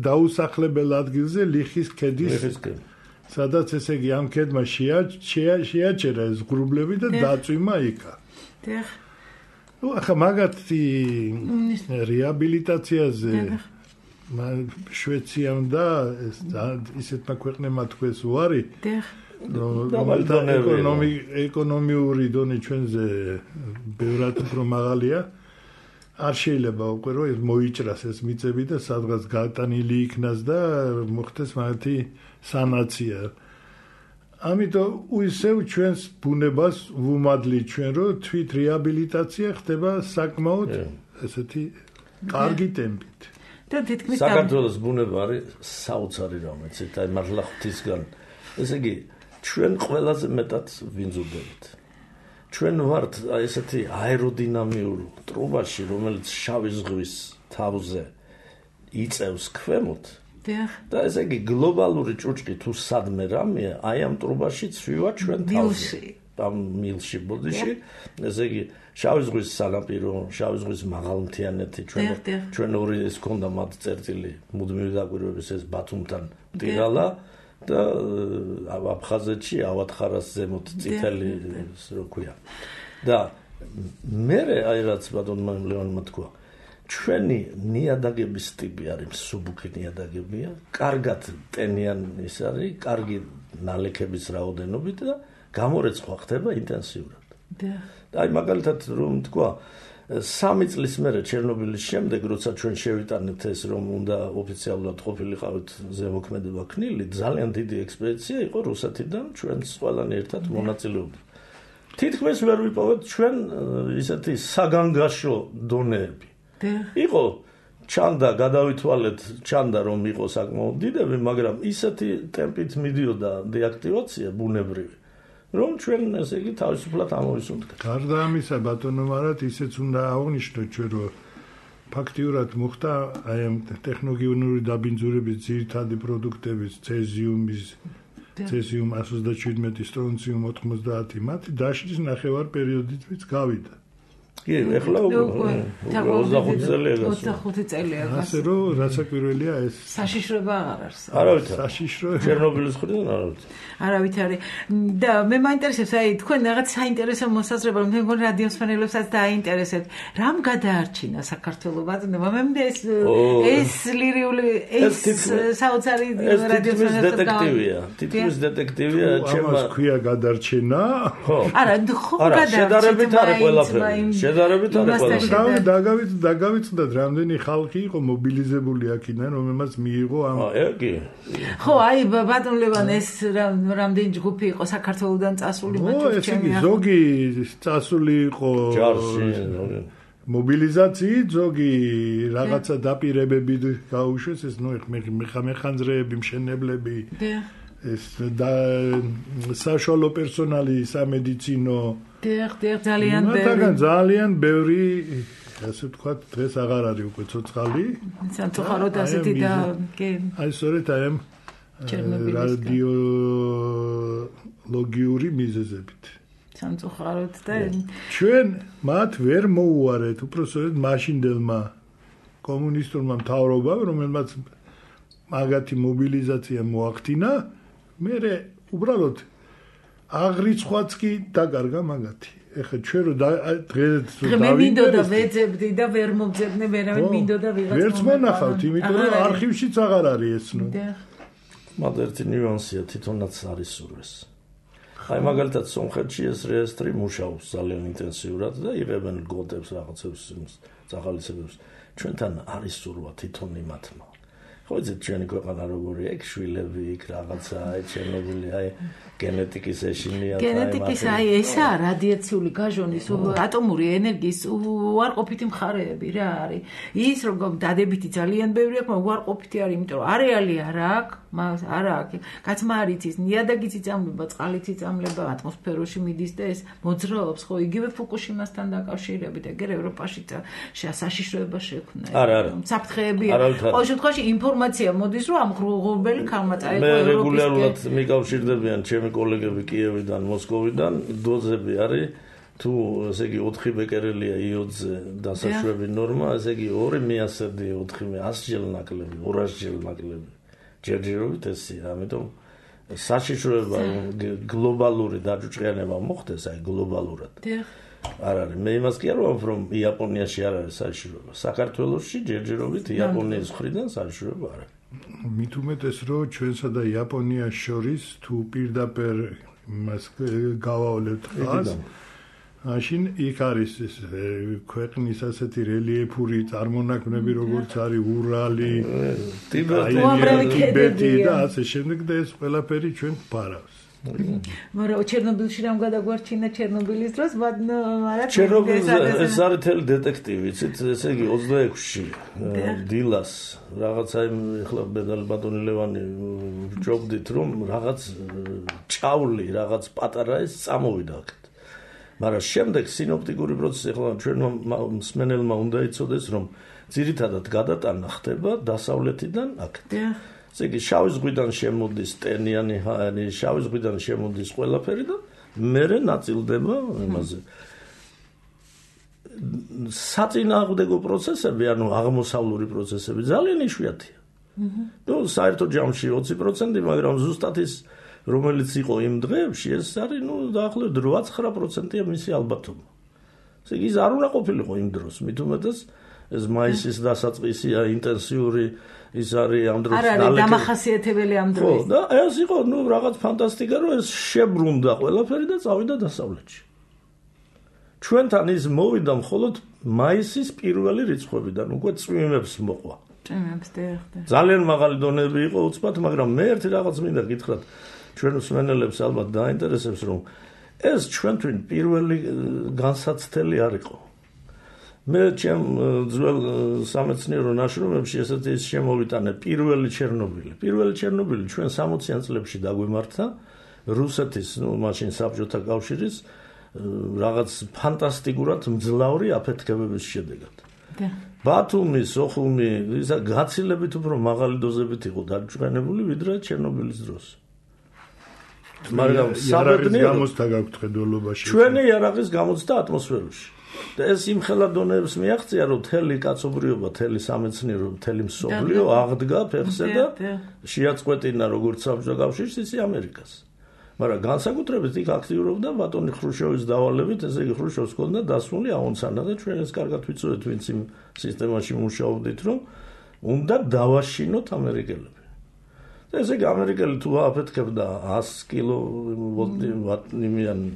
დაუსახლებელ ადგილზე ლიხის ქედის სადაც ესე იგი ამ ქედმა შეაჩერა ეს ღრუბლები და დაწვიმა იქა ნუ ახლა მაგათი რეაბილიტაციაზე შვეციამ და ისეთმა ქვეყნებმა თქვეს უარი ეკონომიური დონე ჩვენზე ბევრად უფრო მაღალია არ შეიძლება უკვე რომ ეს მოიჭრას ეს მიწები და სადღაც გატანილი იქნას და მოხდეს მათი სანაცია ამიტომ ისევ ჩვენს ბუნებას ვუმადლი ჩვენ რომ თვით რეაბილიტაცია ხდება საკმაოდ ესეთი კარგი ტემპით და თითქმის საქართველოს ბუნება არის საოცარი რამეც აი მართლა ღვთისგან ესე იგი ჩვენ ყველაზე მეტად ვინძურდებით ჩვენ ვართ ესეთი აეროდინამიურ ტრუბაში რომელიც შავი ზღვის თავზე იწევს ქვემოთ და ესე იგი გლობალური ჭუჭკი თუ სადმე რამეა აი ამ ტრუბაში ცვივა ჩვენ თავზე ამ მილში ბოდიში ესე იგი შავი ზღვის სანაპირო შავი ზღვის მაღალმთიანეთი ჩვენ ჩვენ ორი ეს ქონდა მათ წერტილი მუდმივი დაკვირვების ეს ბათუმთან მტირალა და აფხაზეთში ავათხარას ზემოთ წითელი რო ქვია და მე აი რაც ბატონმა ლეონმა თქვა ჩვენი ნიადაგების ტიპი არის მსუბუქი ნიადაგებია კარგად ტენიან ის არის კარგი ნალექების რაოდენობით და გამორეცხვა ხდება ინტენსიურად და აი მაგალითად რომ თქვა სამი წლის მერე ჩერნობილის შემდეგ როცა ჩვენ შევიტანეთ ეს რომ უნდა ოფიციალურად ყოფილიყავით ზემოქმედება ქნილი ძალიან დიდი ექსპედიცია იყო რუსეთიდან ჩვენს ყველანი ერთად მონაწილეობდნენ თითქმის ვერ ვიპოვეთ ჩვენ ისეთი საგანგაშო დონეები იყო ჩანდა გადავითვალეთ ჩანდა რომ იყო საკმაოდ დიდები მაგრამ ისეთი ტემპით მიდიოდა დეაქტივაცია ბუნებრივი რომ ჩვენ ესე იგი თავისუფლად ამოვისუნთქეთ. გარდა ამისა ბატონო მარად ისეც უნდა აღვნიშნოთ ჩვენ რომ ფაქტიურად მოხდა აი ამ ტექნოგენური დაბინძურების ძირითადი პროდუქტების ცეზიუმის ცეზიუმ ათას ოცდაშვიდმეტი სტრონციუმ ოთხმოცდაათი მათი დაშლის ნახევარ პერიოდით გავიდა. კი, ეხლა ოცდახუთი წელია გასული. ოცდახუთი წელია გასული. ასე რომ რასაკვირველია ეს საშიშროება არ არის. არავით საშიშრო ჩერნობილის ხრიდან არავით. არავით არის. და მე მაინტერესებს აი თქვენ რაღაც საინტერესო მოსაზრება რომ თქვენ რადიოსმენელებსაც დააინტერესებთ. რამ გადაარჩინა საქართველოს ბატონობა? მე მგონი ეს ეს ლირიული ეს საოცარი რადიოსმენელებს დეტექტივია. თითქმის დეტექტივია ჩემმა ქვია გადარჩენა. არა, ხო გადარჩენა. შედარებით არის ყველაფერი. შედარებით არის ყველა. დაგავით დაგავიწყდათ რამდენი ხალხი იყო მობილიზებული აქიდან, რომელმაც მიიღო ამ აგი. ხო, აი ბატონ ლევან ეს რამდენი ჯგუფი იყო საქართველოსდან წასული მათ ჩემი ზოგი წასული იყო ჯარში, ზოგი მობილიზაციით, ზოგი რაღაცა დაპირებებით გაუშვეს, ეს ნუ მეხანძრეები, მშენებლები. ეს და საშუალო პერსონალი სამედიცინო დიახ, დიახ, ძალიან ბევრი. მათგან ძალიან ბევრი, ასე ვთქვათ, დღეს აღარ არის უკვე ცოცხალი. სამწუხაროდ ასეთი და კი. აი სწორედ აი ამ რადიოლოგიური მიზეზებით. სამწუხაროდ და ჩვენ მათ ვერ მოუარეთ, უბრალოდ მაშინდელმა კომუნისტურმა მთავრობამ, რომელმაც მაგათი მობილიზაცია მოახდინა, მერე უბრალოდ აღრიცხვაც კი დაკარგა მაგათი. ეხლა ჩვენ რო დღეს მე მინდოდა ვეძებდი და ვერ მოგძებნე, ვერავინ მინდოდა ვიღაც. ვერც მონახავთ, იმიტომ რომ არქივშიც აღარ არის ეს ნუ. მაგრამ ერთი ნიუანსია თვითონაც არის სურვეს. აი მაგალითად სომხეთში ეს რეესტრი მუშაობს ძალიან ინტენსიურად და იღებენ ლგოდებს რაღაცებს წახალისებებს. ჩვენთან არის სურვა თვითონ იმათმა. ხო იცი ჩვენი ქვეყანა როგორია, ეგ შვილები, იქ რაღაცა, აი ჩერნობილი, აი გენეტიკის ეშინია. გენეტიკის აი ესა რადიაციული გაჟონის ატომური ენერგიის უარყოფითი მხარეები რა არის. ის როგორ დადებითი ძალიან ბევრი აქვს, მაგრამ უარყოფითი არის, იმიტომ რომ არეალი არ აქვს, მას არ აქვს. კაცმა არ იცის, ნიადაგიც იწამლება, წყალიც იწამლება, ატმოსფეროში მიდის და ეს მოძრაობს, ხო, იგივე ფუკუშიმასთან დაკავშირებით, ეგერ ევროპაში საშიშროება შექმნა. არა, არა. საფრთხეები. ყოველ შემთხვევაში ინფორმაცია მოდის, რომ ამ ღრუბელი ქალმაწარი მე რეგულარულად მიკავშირდებიან ჩემი კოლეგები კიევიდან, მოსკოვიდან, დოზები არის თუ ესე იგი ოთხი ბეკერელია იოდზე დასაშვები ნორმა, ესე იგი ორი მიასერდი ოთხი ასჯერ ნაკლები, ორასჯერ ნაკლები. ჯერჯერობით ესია, ამიტომ საშიშროება გლობალური დაჯუჭიანება მოხდეს, აი გლობალურად. არ არის. მე იმას კი არ ვამბობ, რომ იაპონიაში არ არის საშიშროება. საქართველოში ჯერჯერობით იაპონიის მხრიდან საშიშროება არ არის. მით უმეტეს, რომ ჩვენსა და იაპონიას შორის თუ პირდაპირ მას გავავლევთ ხაზს, მაშინ იქ არის ეს ქვეყნის ასეთი რელიეფური წარმონაქმნები, როგორც არის ურალი, ტიბეტი და ასე შემდეგ და ეს ყველაფერი ჩვენ გვფარავს. მაგრამ ჩერნობილში რამ გადაგვარჩინა ჩერნობილის დროს, მაგრამ ჩერნობილს ეს არის თელი დეტექტივი, იცით, ესე იგი ოცდაექვსში დილას რაღაცა ეხლა ბედალი ბატონი ლევანი ვჯობდით, რომ რაღაც ჭავლი, რაღაც პატარა ეს წამოვიდა აქეთ. მაგრამ შემდეგ სინოპტიკური პროცესი ეხლა ჩვენ მსმენელმა უნდა იცოდეს, რომ ძირითადად გადატანა ხდება დასავლეთიდან აქეთ. ესე იგი შავი ზღვიდან შემოდის ტენიანი ჰაერი, შავი ზღვიდან შემოდის ყველაფერი და მერე ნაწილდება იმაზე. საწინააღმდეგო პროცესები, ანუ აღმოსავლური პროცესები ძალიან იშვიათია. ნუ საერთო ჯამში ოცი პროცენტი, მაგრამ ზუსტად ის რომელიც იყო იმ დღეებში, ეს არის ნუ დაახლოებით ოცდაათი პროცენტია მისი ალბათობა. ესე იგი ის არ უნდა ყოფილიყო იმ დროს, მით უმეტეს ეს მაისის დასაწყისია ინტენსიური ის არის ამ დროს არ არის დამახასიათებელი ამ დროს. ხო, და ეს იყო ნუ რაღაც ფანტასტიკა, რომ ეს შებრუნდა ყველაფერი და წავიდა დასავლეთში. ჩვენთან ის მოვიდა მხოლოდ მაისის პირველი რიცხვებიდან, უკვე წვიმებს მოყვა. წვიმებს დიახდა. ძალიან მაღალი დონეები იყო უცბად, მაგრამ მე ერთი რაღაც მინდა გითხრათ, ჩვენ მსმენელებს ალბათ დაინტერესებს, რომ ეს ჩვენთვის პირველი განსაცდელი არ იყო. მე ჩემ ძველ სამეცნიერო ნაშრომებში ესეთი ის შემოვიტანე პირველი ჩერნობილი. პირველი ჩერნობილი ჩვენ სამოციან წლებში დაგვემართა რუსეთის, ნუ მაშინ საბჭოთა კავშირის რაღაც ფანტასტიკურად მძლავრი აფეთქებების შედეგად. ბათუმი, სოხუმი, ისა გაცილებით უფრო მაღალი დოზებით იყო დაჯვენებული, ვიდრე ჩერნობილის დროს. მაგრამ საბედნიეროდ გამოცდა გაქვთ ხედველობაში. ჩვენი იარაღის გამოცდა ატმოსფეროში. და ეს იმ ხელა დონეებს მიაღწია, რომ თელი კაცობრიობა, თელი სამეცნიერო, თელი მსოფლიო აღდგა ფეხზე და შეაწყვეტინა როგორც საბჭოთა კავშირს, ისე ამერიკას. მაგრამ განსაკუთრებით იქ აქტიურობდა ბატონი ხრუშჩოვის დავალებით, ესე იგი ხრუშჩოვს ჰქონდა დასმული აუნცანა და ჩვენ ეს კარგად ვიცოდეთ, ვინც იმ სისტემაში მუშაობდით, რომ უნდა დავაშინოთ ამერიკელები. და ესე იგი ამერიკელი თუ აფეთქებდა one hundred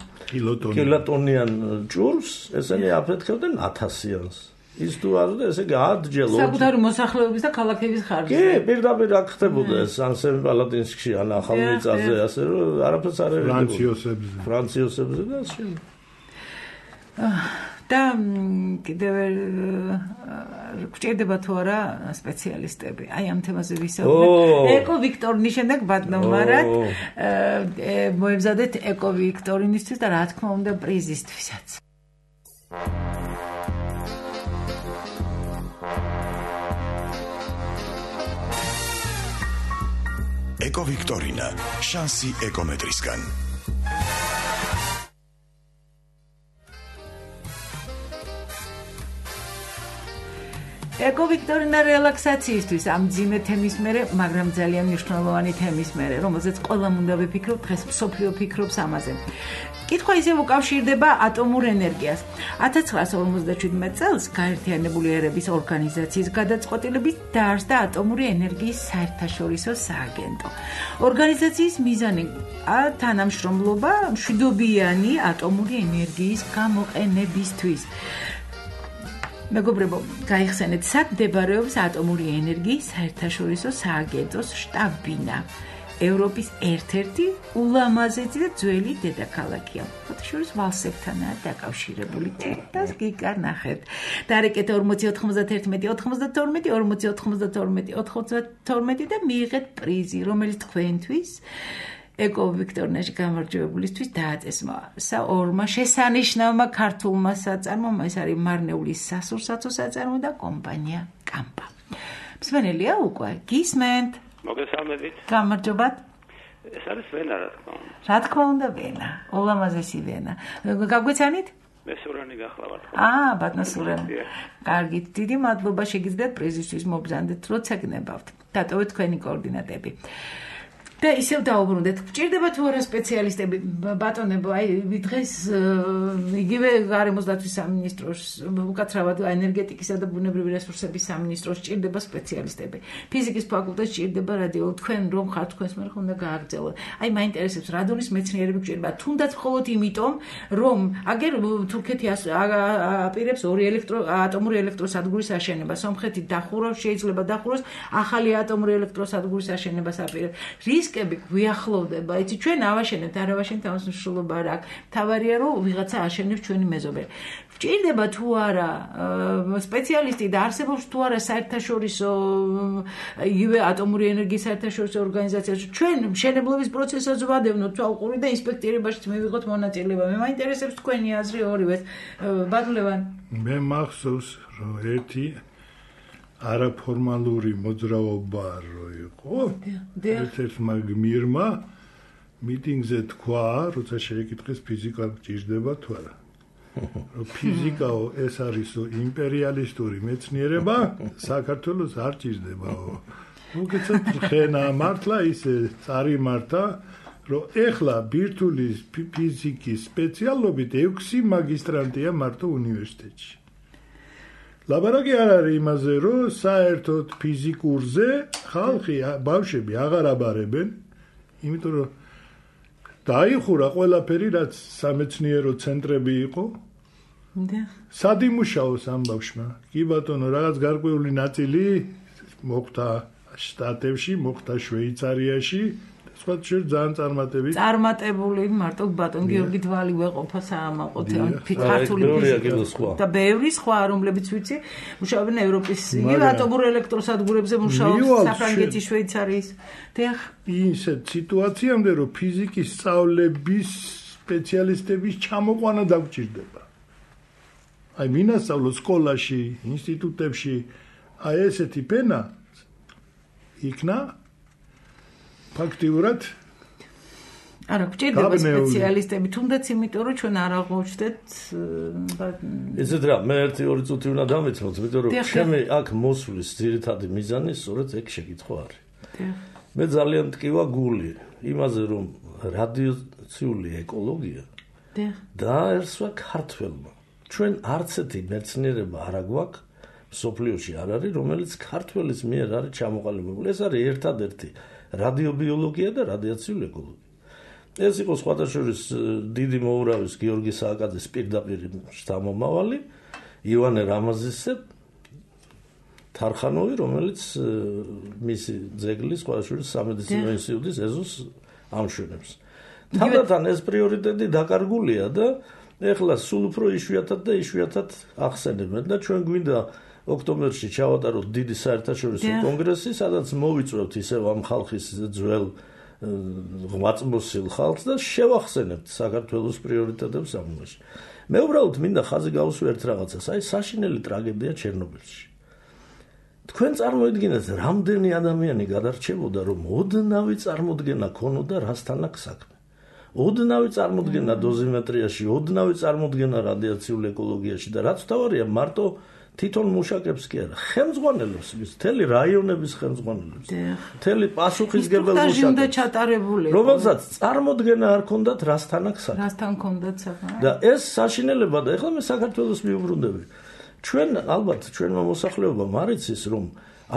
კილოტონიან ჭურს, ესენი აფეთქებდნენ one thousand-იანს. ის თუ არ და ესე იგი ათჯერ საკუთარი მოსახლეობის და ქალაქების ხარჯზე. კი, პირდაპირ აქ ხდებოდა ეს ან სემპალატინსკში, ან ახალმიწაზე, ასე რომ არაფერს არ ერედებოდა. ფრანციოსებზე. ფრანციოსებზე და ასე. და კიდევ გვჭირდება თუ არა სპეციალისტები. აი ამ თემაზე ვისაუბრეთ. ეკო ვიქტორინის შემდეგ ბატონმარად მოემზადეთ ეკო ვიქტორინისთვის და რა თქმა უნდა პრიზისთვისაც. ეკო ვიქტორინა, შანსი ეკომეტრისგან. ეკო ვიქტორინა რელაქსაციისთვის ამ ძიმე თემის მერე, მაგრამ ძალიან მნიშვნელოვანი თემის მერე, რომელზეც ყველამ უნდა ვიფიქროთ, დღეს მსოფლიო ფიქრობს ამაზე. კითხვა ისევ უკავშირდება ატომურ ენერგიას. one thousand nine hundred fifty-seven წელს გაერთიანებული ერების ორგანიზაციის გადაწყვეტილებით დაარსდა ატომური ენერგიის საერთაშორისო სააგენტო. ორგანიზაციის მიზანი თანამშრომლობა მშვიდობიანი ატომური ენერგიის გამოყენებისთვის. მეგობრებო, გაიხსენეთ, სად მდებარეობს ატომური ენერგიის საერთაშორისო სააგენტოს შტაბ-ბინა. ევროპის ერთ-ერთი ულამაზესი და ძველი დედაქალაქია. ფოტოშორის ვალსებთანაა დაკავშირებული. თეთრს გიგანახეთ. დარეკეთ forty ninety-one ninety-two forty ninety-two ninety-two და მიიღეთ პრიზი, რომელიც თქვენთვის ეკო ვიქტორინაში გამარჯვებულისთვის დააწესმა ორმა შესანიშნავმა ქართულმა საწარმომ, ეს არის მარნეულის სასურსათო საწარმო და კომპანია კამპა. მსმენელია უკვე, გისმენთ? მოგესალმებით. გამარჯობათ. ეს არის ვენა, რა თქმა უნდა. რა თქმა უნდა ვენა, ულამაზესი ვენა. გაგვეცანით? მე სურანი გახლავართ. აა, ბატონო სურანი. კარგით, დიდი მადლობა შეგიძლიათ პრიზისთვის მობრძანდეთ, როცა გნებავთ. დატოვეთ თქვენი კოორდინატები. და ისევ დაუბრუნდეთ. გჭირდება თუ არა სპეციალისტები, ბატონებო, აი დღეს იგივე გარემოს დაცვის სამინისტროს, უკაცრავად ენერგეტიკისა და ბუნებრივი რესურსების სამინისტროს ჭირდება სპეციალისტები. ფიზიკის ფაკულტეტს ჭირდება რადიოლოგი, თქვენ რომ ხართ თქვენს მერე უნდა გააგრძელოთ. აი მაინტერესებს რადონის მეცნიერები გჭირდება, თუნდაც მხოლოდ იმიტომ, რომ აგერ თურქეთი აპირებს ორი ელექტრო ატომური ელექტროსადგურის აშენება, სომხეთი დახურავს, შეიძლება დახუროს, ახალი ატომური ელექტროსადგურის აშენებას აპირებს. რისკები გვიახლოვდება, იცი ჩვენ ავაშენებთ, არ ავაშენებთ, ამას მნიშვნელობა არ აქვს. თავარია რომ ვიღაცა აშენებს ჩვენი მეზობელი. გვჭირდება თუ არა სპეციალისტი და არსებობს თუ არა საერთაშორისო იგივე ატომური ენერგიის საერთაშორისო ორგანიზაციაში ჩვენ მშენებლობის პროცესსაც ვადევნოთ თვალყური და ინსპექტირებაშიც მივიღოთ მონაწილეობა. მე მაინტერესებს თქვენი აზრი ორივეს. ბატონლევან. მე მახსოვს რომ ერთი არაფორმალური მოძრაობა რო იყო. ერთ-ერთმა გმირმა მიტინგზე თქვა, როცა შეეკითხეს ფიზიკა გჭირდება თუ არა. რომ ფიზიკაო ეს არისო იმპერიალისტური მეცნიერება, საქართველოს არ ჭირდებაო. უკეთესად ხენა მართლა ისე წარიმართა, რომ ეხლა ბირთვული ფიზიკის სპეციალობით ექვსი მაგისტრანტია მარტო უნივერსიტეტში. ლაბარაკი არ არის იმაზე, რომ საერთოდ ფიზიკურზე ხალხი, ბავშვები აღარ აბარებენ, იმიტომ რომ დაიხურა ყველაფერი, რაც სამეცნიერო ცენტრები იყო. და სად იმუშაოს ამ ბავშვმა? კი ბატონო, რაღაც გარკვეული ნაწილი მოხდა შტატებში, მოხდა შვეიცარიაში, სხვა შეიძლება ძალიან წარმატებით. წარმატებული მარტო ბატონ გიორგი დვალი ვეყოფა საამაყოთ, ქართული ფიზიკა და ბევრი სხვა, რომლებიც ვიცი, მუშაობენ ევროპის ატომურ ელექტროსადგურებზე, მუშაობს საფრანგეთის, შვეიცარიის. დიახ, ისეთ სიტუაციამდე, რომ ფიზიკის სწავლების სპეციალისტების ჩამოყვანა დაგჭირდება. აი, მინასწავლო სკოლაში, ინსტიტუტებში, აი ესეთი ფენა იქნა ფაქტიურად არა, გვჭირდება სპეციალისტები, თუნდაც იმიტომ, რომ ჩვენ არ აღმოჩნდეთ ესეთ რა, მე ერთი ორი წუთი უნდა დამეცნოთ, იმიტომ რომ ჩემი აქ მოსვლის ძირითადი მიზანი სწორედ ეგ შეკითხვა არის. მე ძალიან მტკივა გული იმაზე, რომ რადიაციული ეკოლოგია დააერსვა ქართველმა. ჩვენ არც ერთი მეცნიერება არ აგვაქვს, სოფლიოში არ არის, რომელიც ქართველის მიერ არის ჩამოყალიბებული. ეს არის ერთადერთი რადიობიოლოგია და რადიაციული ეკოლოგია. ეს იყო სხვათა შორის დიდი მოურავის გიორგი სააკაძის პირდაპირ შთამომავალი ივანე რამაზისზე თარხანოვი, რომელიც მისი ძეგლის სხვათა შორის სამედიცინო ინსტიტუტის ეზოს ამშვენებს. თანდათან ეს პრიორიტეტი დაკარგულია და ეხლა სულ უფრო იშვიათად და იშვიათად ახსენებენ და ჩვენ გვინდა ოქტომბერში ჩავატაროთ დიდი საერთაშორისო კონგრესი, სადაც მოვიწვევთ ისევ ამ ხალხის ძველ ღვაწლმოსილ ხალხს და შევახსენებთ საქართველოს პრიორიტეტებს ამ მომენტში. მე უბრალოდ მინდა ხაზი გავუსვა ერთ რაღაცას, აი საშინელი ტრაგედია ჩერნობილში. თქვენ წარმოიდგინეთ, რამდენი ადამიანი გადარჩებოდა, რომ ოდნავი წარმოდგენა ქონოდა რასთან აქვს საქმე. ოდნავი წარმოდგენა დოზიმეტრიაში, ოდნავი წარმოდგენა რადიაციულ ეკოლოგიაში და რაც თავარია, მარტო თვითონ მუშაკებს კი არა, ხელმძღვანელებს, მთელი რაიონების ხელმძღვანელებს, მთელი პასუხისმგებელ მუშაკებს, რომელსაც წარმოდგენა არ ქონდათ რასთან აქვს საქმე. რასთან ქონდათ საქმე. და ეს საშინელება და ეხლა მე საქართველოს მიუბრუნდები. ჩვენ ალბათ ჩვენმა მოსახლეობამ არ იცის, რომ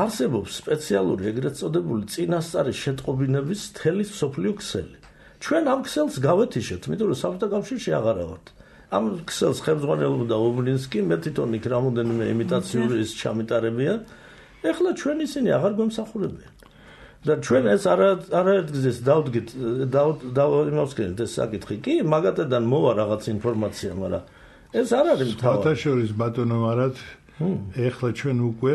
არსებობს სპეციალური ეგრეთ წოდებული წინასწარი შეტყობინების მთელი მსოფლიო ქსელი. ჩვენ ამ ქსელს გავეთიშეთ, იმიტომ რომ საბჭოთა კავშირში აღარა ვართ. ამ ქსელს ხელმძღვანელობდა ობლინსკი, მე თვითონ იქ რამოდენიმე იმიტაციური ის ჩამიტარებია. ეხლა ჩვენ ისინი აღარ გვემსახურებიან. და ჩვენ ეს არა არაერთ გზეს დავდგით, დავიმავსკენით ეს საკითხი. კი, მაგათიდან მოვა რაღაც ინფორმაცია, მაგრამ ეს არ არის თავი. ფათაშორის ბატონო მარად ეხლა ჩვენ უკვე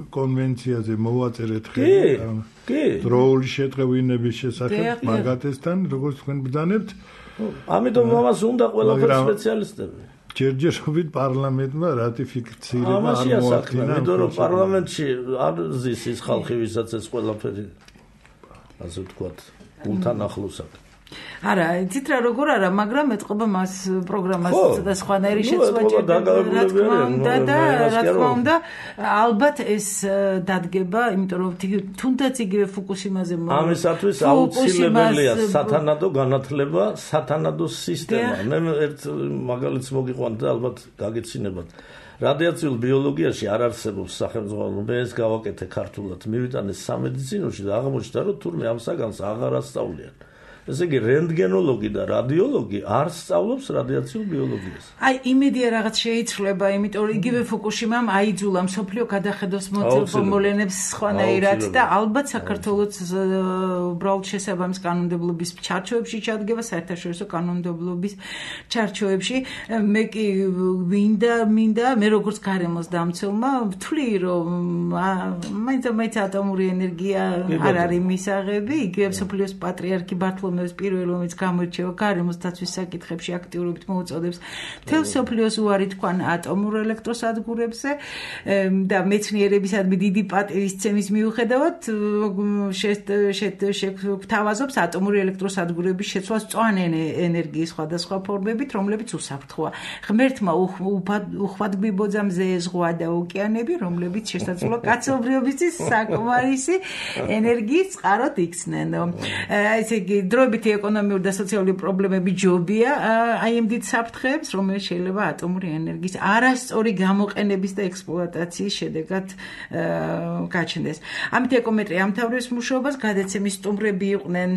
კონვენციაზე მოვაწერეთ ხელი. კი. დროული შეტყევინების შესახებ მაგათესთან, როგორც თქვენ ბრძანებთ. ამიტომ ამას უნდა ყველაფერი სპეციალისტები. ჯერჯერობით პარლამენტმა რატიფიცირება არ მოახდინა. ამაშია რომ პარლამენტში არ ზის ის ხალხი, ვისაც ეს ყველაფერი ასე ვთქვათ, გულთან ახლოსაკ. არა, იცით რა როგორ არა, მაგრამ ეთყობა მას პროგრამას და სხვანაირი შეცვლა ჭირდება, რა თქმა უნდა და რა თქმა უნდა, ალბათ ეს დადგება, იმიტომ რომ თუნდაც იგივე ფუკუსიმაზე ამისათვის აუცილებელია სათანადო განათლება, სათანადო სისტემა. მე ერთ მაგალითს მოგიყვანთ და ალბათ გაგეცინებათ. რადიაციულ ბიოლოგიაში არ არსებობს სახელმძღვანელო, მე ეს გავაკეთე ქართულად, მივიტანე სამედიცინოში და აღმოჩნდა, რომ თურმე ამ საგანს აღარ ასწავლიან. ესე იგი რენტგენოლოგი და რადიოლოგი არ სწავლობს რადიაციულ ბიოლოგიას. აი იმედია რაღაც შეიცვლება, იმიტომ რომ იგივე ფუკუშიმამ აიძულა მსოფლიო გადახედოს მოძებნებელებს სხვანაირად და ალბათ საქართველოს უბრალოდ შესაბამის კანონმდებლობის ჩარჩოებში ჩადგება საერთაშორისო კანონმდებლობის ჩარჩოებში. მე კი მინდა მინდა მე როგორც გარემოს დამცველმა ვთვლი, რომ მაინც მაინც ატომური ენერგია არ არის მისაღები, იგივე მსოფლიოს პატრიარქი ბართლომე პირველ რომელიც გამოირჩევა გარემოს დაცვის საკითხებში აქტიურობით მოუწოდებს მთელ მსოფლიოს უარი თქვან ატომურ ელექტროსადგურებზე და მეცნიერებისადმი დიდი პატივისცემის მიუხედავად შეგვთავაზობს ატომური ელექტროსადგურების შეცვლას მწვანე ენერგიის სხვადასხვა ფორმებით, რომლებიც უსაფრთხოა. ღმერთმა უხვადგვიბოძა მზე, ზღვა და ოკეანები, რომლებიც შესაძლოა კაცობრიობისთვის საკმარისი ენერგიის წყაროდ იქცნენ. ესე იგი დროებითი ეკონომიური და სოციალური პრობლემები ჯობია აი ამ დიდ საფრთხეებს, რომელიც შეიძლება ატომური ენერგიის არასწორი გამოყენების და ექსპლუატაციის შედეგად გაჩნდეს. ამით ეკომეტრე ამთავრებს მუშაობას, გადაცემის სტუმრები იყვნენ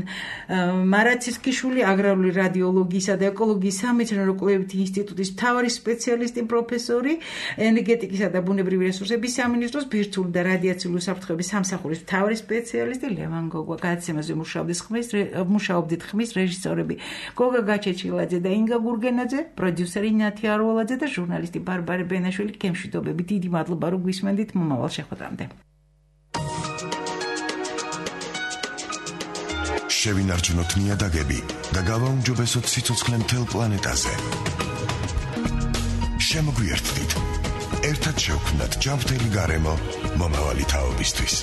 მარაცისკიშვილი, აგრარული რადიოლოგიისა და ეკოლოგიის სამეცნიერო კვლევითი ინსტიტუტის მთავარი სპეციალისტი, პროფესორი, ენერგეტიკისა და ბუნებრივი რესურსების სამინისტროს ბირთვული და რადიაციული უსაფრთხოების სამსახურის მთავარი სპეციალისტი ლევან გოგვა. გადაცემაზე მუშაობდნენ ხმის მუშაობდით ხმის რეჟისორები გოგა გაჩეჩილაძე და ინგა გურგენაძე, პროდიუსერი ნათი არველაძე და ჟურნალისტი ბარბარე ბენაშვილი. გემშვიდობები, დიდი მადლობა რომ გვისმენდით, მომავალ შეხვედრამდე. შევინარჩუნოთ ნიადაგები და გავაუმჯობესოთ სიცოცხლე მთელ პლანეტაზე. შემოგვიერთდით, ერთად შევქმნათ ჯანმრთელი გარემო მომავალი თაობისთვის.